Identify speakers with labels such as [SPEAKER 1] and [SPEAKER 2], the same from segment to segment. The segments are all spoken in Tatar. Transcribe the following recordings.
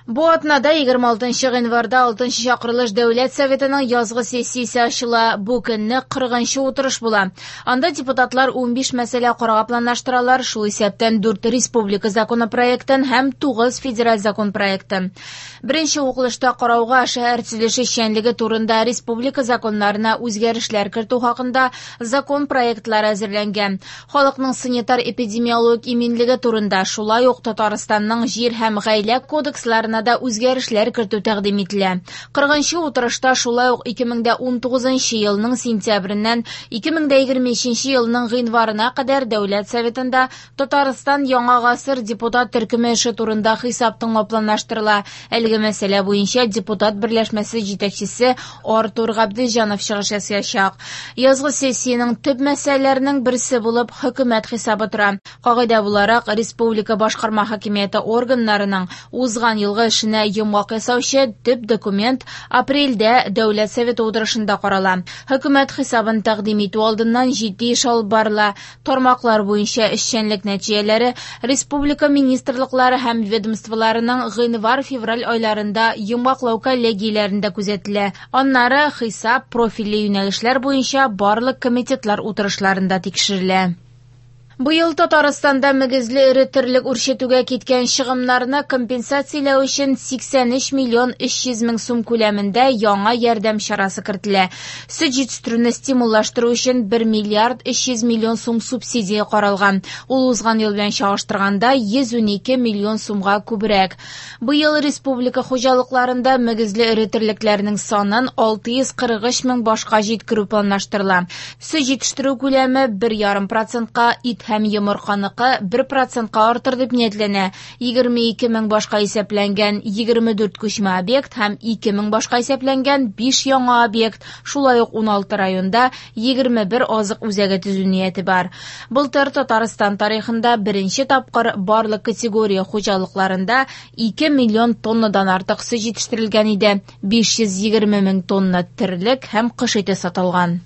[SPEAKER 1] Бу атнада 26 гыйнварда 6 чакырылыш Дәүләт Советының язгы сессиясе ачыла. Бу көнне 40 утырыш була. Анда депутатлар 15 мәсьәлә карарга планлаштыралар, шул исәптән 4 республика законопроектын һәм 9 федераль закон проектын. Беренче укылышта карауга шәһәр төзелеше эшчәнлеге турында республика законнарына үзгәрешләр кертү хакында закон проектлары әзерләнгән. Халыкның санитар-эпидемиологик иминлеге турында, шулай ук Татарстанның җир һәм гаилә кодексларына да үзгәрешләр кертү тәкъдим ителә. 40 утырышта шулай ук 2019 елның сентябреннән 2023 елның гыйнварына кадәр Дәүләт Советында Татарстан Яңа гасыр депутат төркеме эше турында хисап тыңлау планлаштырыла. Әлеге мәсьәлә буенча депутат берләшмәсе җитәкчесе Артур Габделҗанов чыгыш ясаячак. Язгы сессиянең төп мәсьәләләренең берсе булып хөкүмәт хисабы тора. Кагыйдә буларак, республика башкарма хакимияте органнарының узган елгы эшенә йомгак ясаучы төп документ апрельдә Дәүләт Советы утырышында карала. Хөкүмәт хисабын тәкъдим итү алдыннан җитди эш алып барыла. Тармаклар буенча эшчәнлек нәтиҗәләре республика министрлыклары һәм ведомстволарының гыйнвар-февраль айларында йомгаклау коллегияләрендә күзәтелә. Аннары хисап профильле юнәлешләр буенча барлык комитетлар утырышларында тикшерелә. Быел Татарстанда мөгезле эре терлек үрчетүгә киткән чыгымнарны компенсацияләү өчен 83 миллион 300 мең сум күләмендә яңа ярдәм чарасы кертелә. Сөт җитештерүне стимуллаштыру өчен 1 миллиард 300 миллион сум субсидия каралган. Ул узган ел белән чагыштырганда 112 миллион сумга күбрәк. Быел республика хуҗалыкларында мөгезле эре терлекләрнең санын 643 мең башка җиткерү планлаштырыла. Сөт җитештерү күләме 1,5%-ка, ит һәм йомырканыкы 1%-ка артыр дип ниятләнә. 22 мең башка исәпләнгән 24 күчмә объект һәм 2 мең башка исәпләнгән 5 яңа объект, шулай ук 16 районда 21 азык үзәге төзү нияте бар. Былтыр Татарстан тарихында беренче тапкыр барлык категория хуҗалыкларында 2 миллион тоннадан артык сөт җитештерелгән иде. 520 мең тонна терлек һәм кош ите сатылган.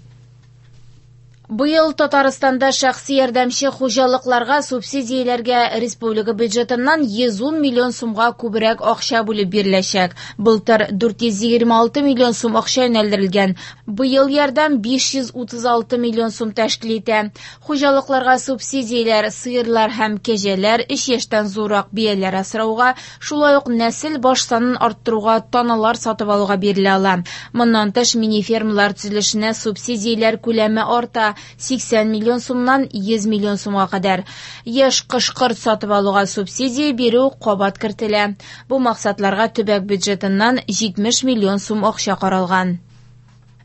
[SPEAKER 1] Быел Татарстанда шәхси ярдәмче хуҗалыкларга субсидияләргә республика бюджетыннан 110 миллион сумга күбрәк акча бүлеп биреләчәк. Былтыр 426 миллион сум акча юнәлдерелгән. Быел ярдәм 536 миллион сум тәшкил итә. Хуҗалыкларга субсидияләр сыерлар һәм кәҗәләр, 3 яшьтән зуррак бияләр асрауга, шулай ук нәсел баш санын арттыруга таналар сатып алуга бирелә ала. Моннан тыш мини-фермалар төзелешенә субсидияләр күләме арта. 80 миллион сумнан 100 миллион сумга кадәр. Яшь кош-корт сатып алуга субсидия бирү кабат кертелә. Бу максатларга төбәк бюджетыннан 70 миллион сум акча каралган.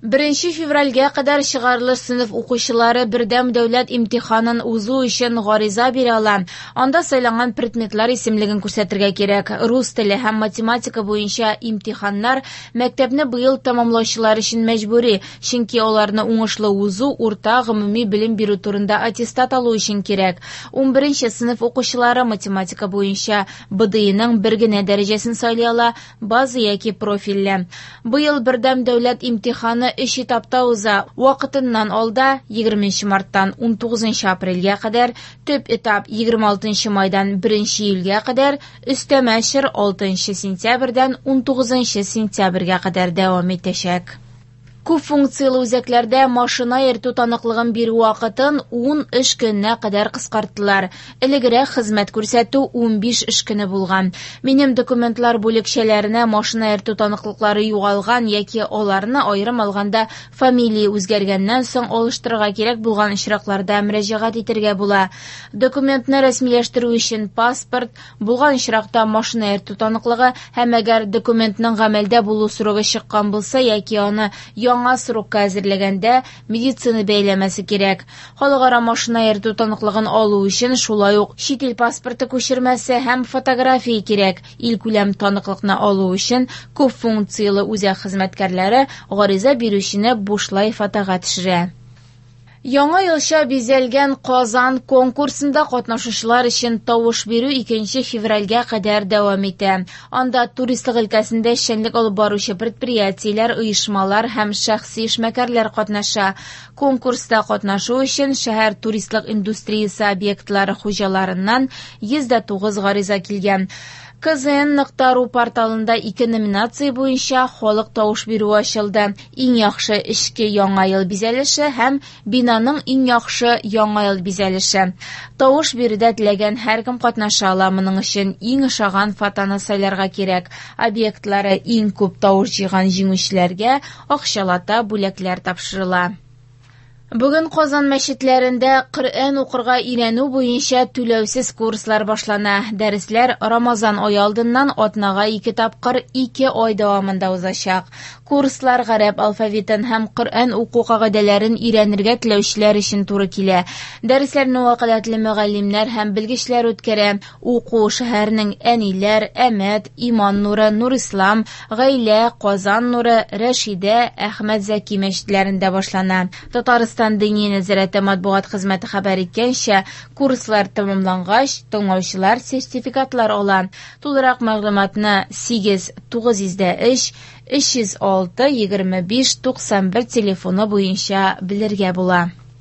[SPEAKER 1] 1 февральгә кадәр чыгарылыш сыйныф укучылары бердәм дәүләт имтиханын узу өчен гариза бирә ала. Анда сайланган предметлар исемлеген күрсәтергә кирәк. Рус теле һәм математика буенча имтиханнар мәктәпне быел тәмамлаучылар өчен мәҗбүри, чөнки аларны уңышлы узу урта гомуми белем бирү турында аттестат алу өчен кирәк. 11 сыйныф укучылары математика буенча БДИның бер генә дәрәҗәсен сайлый ала, база яки профильле. Быел бердәм дәүләт имтиханы 3 этапта уза. Вакытыннан алда 20 марттан 19 апрельгә кадәр, төп этап 26 майдан 1 июльгә кадәр, өстәмә чор 6 сентябрьдән 19 сентябрьгә кадәр дәвам итәчәк. Күп функцияле үзәкләрдә машина йөртү таныклыгын бирү вакытын 10 эш көненә кадәр кыскарттылар. Элегрәк хезмәт күрсәтү 15 эш көне булган. Минем документлар бүлекчәләренә машина йөртү таныклыклары югалган яки аларны аерым алганда фамилия үзгәргәннән соң алыштырырга кирәк булган очракларда мөрәҗәгать итәргә була. Документны рәсмиләштерү өчен паспорт, булган очракта машина йөртү таныклыгы һәм әгәр документның гамәлдә булу срогы чыккан булса яки аны яңа срокка әзерләгәндә медицина бәяләмәсе кирәк. Халыкара машина йөртү таныклыгын алу өчен шулай ук чит ил паспорты күчермәсе һәм фотография кирәк. Илкүләм таныклыкны алу өчен күп функцияле үзәк хезмәткәрләре гариза бирүчене бушлай фотога төшерә. Яңа елча бизәлгән Казан конкурсында катнашучылар өчен тавыш бирү 2 февральгә кадәр дәвам итә. Анда туристлык өлкәсендә эшчәнлек алып баручы предприятиеләр, оешмалар һәм шәхси эшмәкәрләр катнаша. Конкурста катнашу өчен шәһәр туристлык индустриясе объектлары хуҗаларыннан 109 гариза килгән. kzn.ru порталында ике номинация буенча халык тавыш бирүе ачылды. Иң яхшы эчке яңа ел бизәлеше һәм бинаның иң яхшы яңа ел бизәлеше. Тавыш бирүдә теләгән һәркем катнаша ала. Моның өчен иң ошаган фотоны сайларга кирәк. Объектлары иң күп тавыш җыйган җиңүчеләргә акчалата бүләкләр тапшырыла. Бүген Казан мәчетләрендә Коръән укырга өйрәнү буенча түләүсез курслар башлана. Дәресләр Рамазан ае алдыннан атнага ике тапкыр 2 ай дәвамында узачак. Курслар гарәп алфавитын һәм Коръән уку кагыйдәләрен өйрәнергә теләүчеләр өчен туры килә. Дәресләрне вәкаләтле мөгаллимнәр һәм белгечләр үткәрә. Уку шәһәрнең Әниләр, Әмәт, Иман нуры, Нурислам, Гаилә, Казан нуры, Рәшидә, Әхмәт Зәки мәчетләрендә башлана. Татарстан Дини нәзарәте матбугат хезмәте хәбәр иткәнчә, курслар тәмамлангач, тыңлаучылар сертификатлар ала. Тулырак мәгълүматны 8 903 306 25 91 телефоны буенча белергә була.